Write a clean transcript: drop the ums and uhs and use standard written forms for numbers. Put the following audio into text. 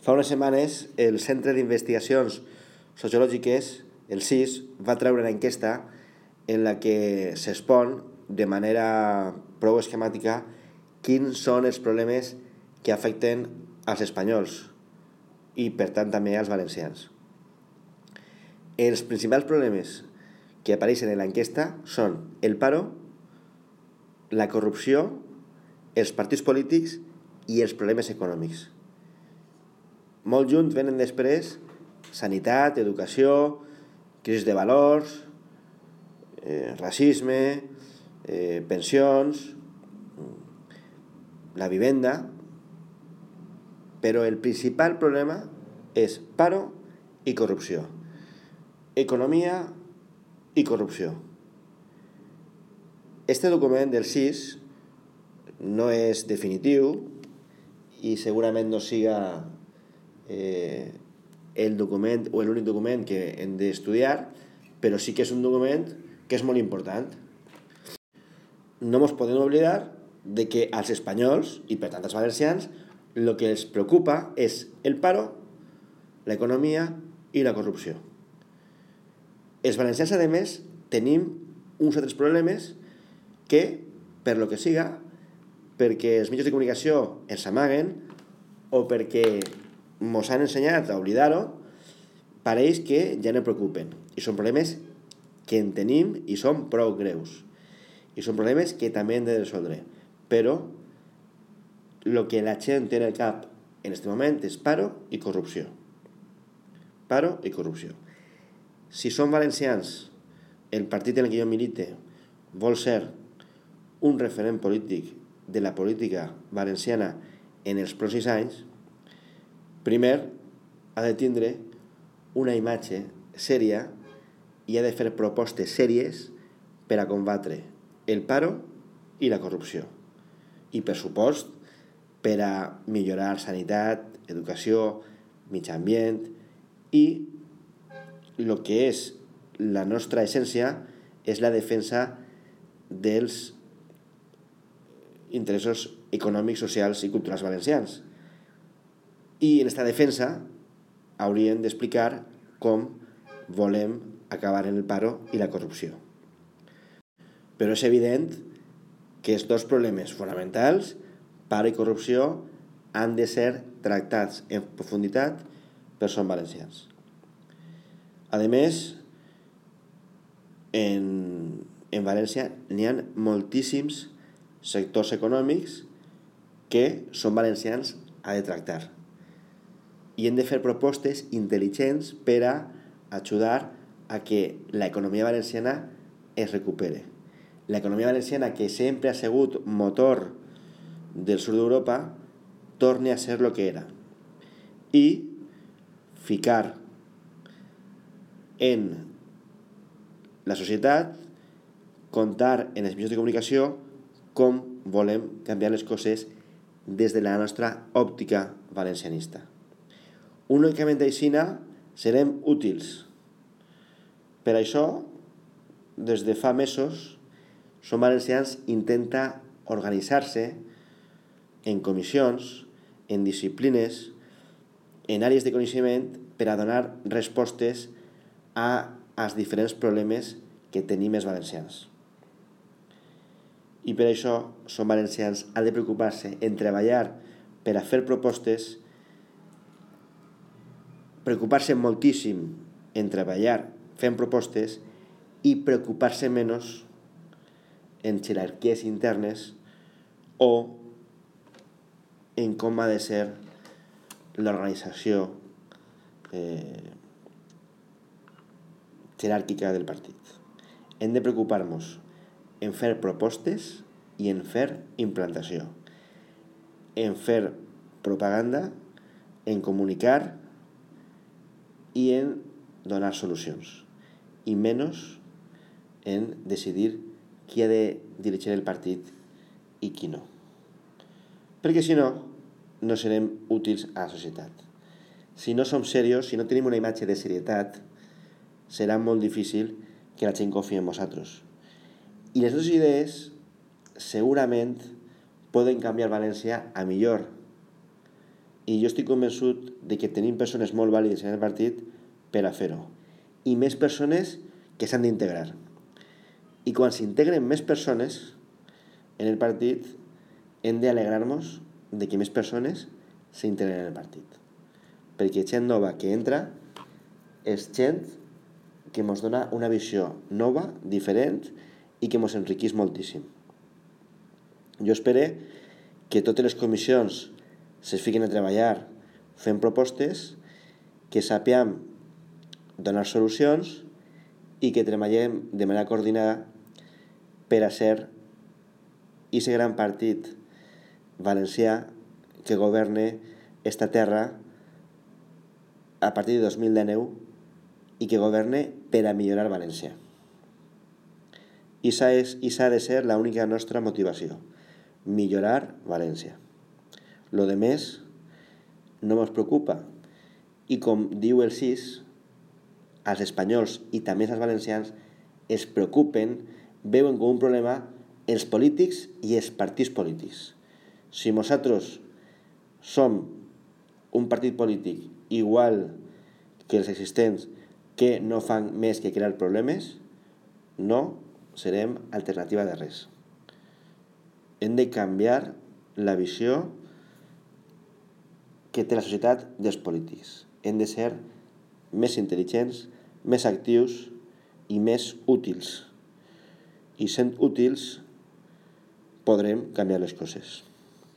Fa unes setmanes, el Centre d'Investigacions Sociològiques, el CIS, va treure una enquesta en la que s'expon de manera prou esquemàtica quins són els problemes que afecten als espanyols i, per tant, també als valencians. Els principals problemes que apareixen en l'enquesta són el paro, la corrupció, els partits polítics i els problemes econòmics. Molt junts venen després sanitat, educació, crisi de valors, racisme, pensions, la vivenda, però el principal problema és paro i corrupció, economia i corrupció. Este document del CIS no és definitiu i segurament no siga el document o l'únic document que hem d'estudiar, però sí que és un document que és molt important. No ens podem oblidar de que als espanyols, i per tant als valencians, el que els preocupa és el paro, l'economia i la corrupció. Els valencians, a més, tenim uns altres problemes que, per lo que siga, perquè els mitjans de comunicació els amaguen o perquè ens han ensenyat a oblidar-ho, pareix que ja no preocupen. I són problemes que en tenim i són prou greus. I són problemes que també hem de resoldre. Però el que la gent té en el cap en aquest moment és paro i corrupció. Paro i corrupció. Si som valencians, el partit en el que jo milite vol ser un referent polític de la política valenciana en els pròxims anys, primer ha de tindre una imatge sèria i ha de fer propostes sèries per a combatre el paro i la corrupció. I, per supost, per a millorar sanitat, educació, mitjà ambient i el que és la nostra essència és la defensa dels interessos econòmics, socials i culturals valencians. I en aquesta defensa hauríem d'explicar com volem acabar en el paro i la corrupció. Però és evident que els dos problemes fonamentals, paro i corrupció, han de ser tractats en profunditat per som valencians. A més, en València n'hi ha moltíssims sectors econòmics que som valencians ha de tractar. I hem de fer propostes intel·ligents per a ajudar a que l'economia valenciana es recupere. L'economia valenciana, que sempre ha sigut motor del sud d'Europa, torni a ser el que era. I ficar en la societat, contar en els mitjans de comunicació com volem canviar les coses des de la nostra òptica valencianista. Únicament aixina serem útils. Per això, des de fa mesos, Som Valencians intenta organitzar-se en comissions, en disciplines, en àrees de coneixement per a donar respostes als diferents problemes que tenim els valencians. I per això Som Valencians ha de preocupar-se en treballar per a fer propostes, preocupar-se moltíssim en treballar fent propostes i preocupar-se menys en jerarquies internes o en com ha de ser l'organització jeràrquica del partit. Hem de preocupar-nos en fer propostes i en fer implantació, en fer propaganda, en comunicar i en donar solucions, i menys en decidir qui ha de dirigir el partit i qui no. Perquè si no, no serem útils a la societat. Si no som serios, si no tenim una imatge de serietat, serà molt difícil que la gent confiï en nosaltres. I les dues idees segurament poden canviar València a millor I jo estic convençut de que tenim persones molt vàlides en el partit per a fer-ho. I més persones que s'han d'integrar. I quan s'integren més persones en el partit, hem d'alegrar-nos de que més persones s'integren en el partit. Perquè gent nova que entra és gent que ens dona una visió nova, diferent i que ens enriqueix moltíssim. Jo espero que totes les comissions se fiquen a treballar fent propostes, que sàpiem donar solucions i que treballem de manera coordinada per a ser aquest gran partit valencià que governe esta terra a partir de 2019 i que governe per a millorar València. I s'ha de ser l'única nostra motivació, millorar València. Lo de més no ens preocupa. I com diu el CIS, els espanyols i també els valencians es preocupen, veuen com un problema els polítics i els partits polítics. Si nosaltres som un partit polític igual que els existents que no fan més que crear problemes, no serem alternativa de res. Hem de canviar la visió que té la societat dels polítics. Hem de ser més intel·ligents, més actius i més útils. I sent útils podrem canviar les coses.